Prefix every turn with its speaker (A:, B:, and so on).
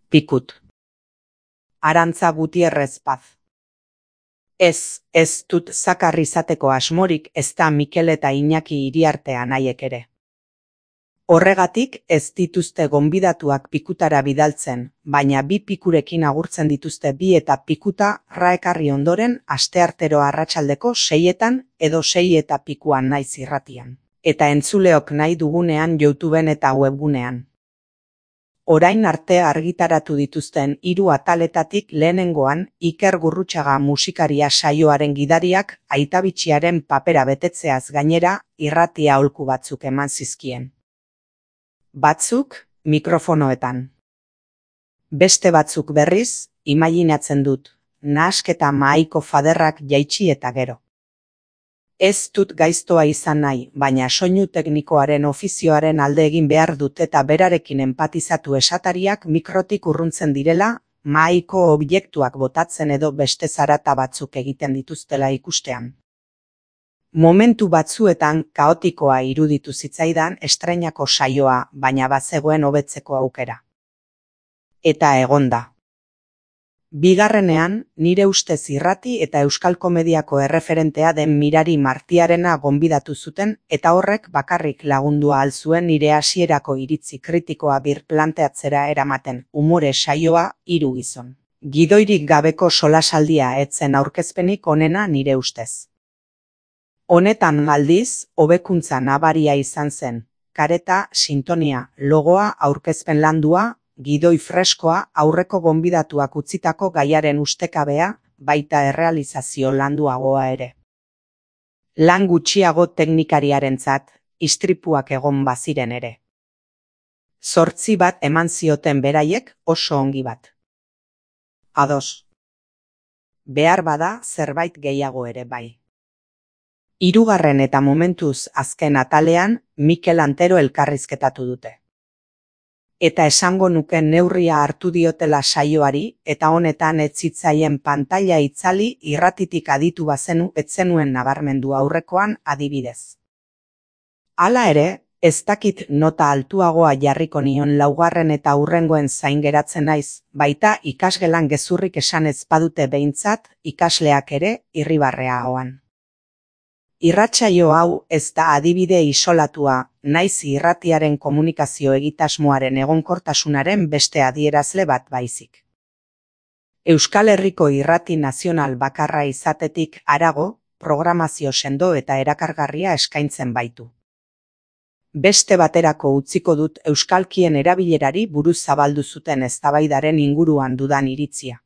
A: Pikut. Arantza Gutierrez Paz. Ez dut zakar izateko asmorik, ezta Mikel eta Iñaki Iriartea nahiek ere. Horregatik ez dituzte gonbidatuak pikutara bidaltzen, baina bi pikurekin agurtzen dituzte bi eta pikuta raekarri ondoren asteartero arratsaldeko 6etan edo 6 eta pikuan naiz irratian. Eta entzuleok nahi dugunean YouTubeen eta webgunean. Orain arte argitaratu dituzten 3 ataletatik lehenengoan Iker Gurrutxaga musikaria saioaren gidariak aitabitxiaren papera betetzeaz gainera irrati aholku batzuk eman zizkien. Batzuk mikrofonoetan. Beste batzuk berriz, imaginatzen dut, nahasketa mahaiko faderrak jaitsi eta gero. Ez dut gaiztoa izan nahi, baina soinu teknikoaren ofizioaren alde egin behar dut eta berarekin enpatizatu esatariak mikrotik urruntzen direla, mahaiko objektuak botatzen edo beste zarata batzuk egiten dituztela ikustean. Momentu batzuetan kaotikoa iruditu zitzaidan estreinako saioa, baina bazegoen hobetzeko aukera. Eta egonda. Bigarrenean, nire ustez irrati eta euskal komediako erreferentea den Mirari Martiarena gonbidatu zuten eta horrek bakarrik lagundua ahal zuen nire hasierako iritzi kritikoa birplanteatzera eramaten umore saioa 3 gizon. Gidoirik gabeko solasaldia etzen aurkezpenik onena nire ustez. Honetan aldiz, hobekuntza nabaria izan zen, kareta, sintonia, logoa, aurkezpen landua, gidoi freskoa, aurreko gonbidatuak utzitako gaiaren ustekabea, baita errealizazio landuagoa ere. Lan gutxiago teknikariarentzat, istripuak egon baziren ere. 8 bat eman zioten beraiek oso ongi bat. Ados. Behar bada zerbait gehiago ere bai. 3. eta momentuz azken atalean, Mikel Antero elkarrizketatu dute. Eta esango nuke neurria hartu diotela saioari, eta honetan ez zitzaien pantaila itzali irratitik aditu bazenu etzenuen nabarmendu aurrekoan adibidez. Hala ere, ez dakit nota altuagoa jarriko nion 4. eta hurrengoen zain geratzen naiz, baita ikasgelan gezurrik esan ez badute behintzat, ikasleak ere irribarrea ahoan. Irratsaio hau ez da adibide isolatua, naiz irratiaren komunikazio egitasmoaren egonkortasunaren beste adierazle bat baizik. Euskal Herriko irrati nazional bakarra izatetik harago, programazio sendo eta erakargarria eskaintzen baitu. Beste baterako utziko dut euskalkien erabilerari buruz zabaldu zuten eztabaidaren inguruan dudan iritzia.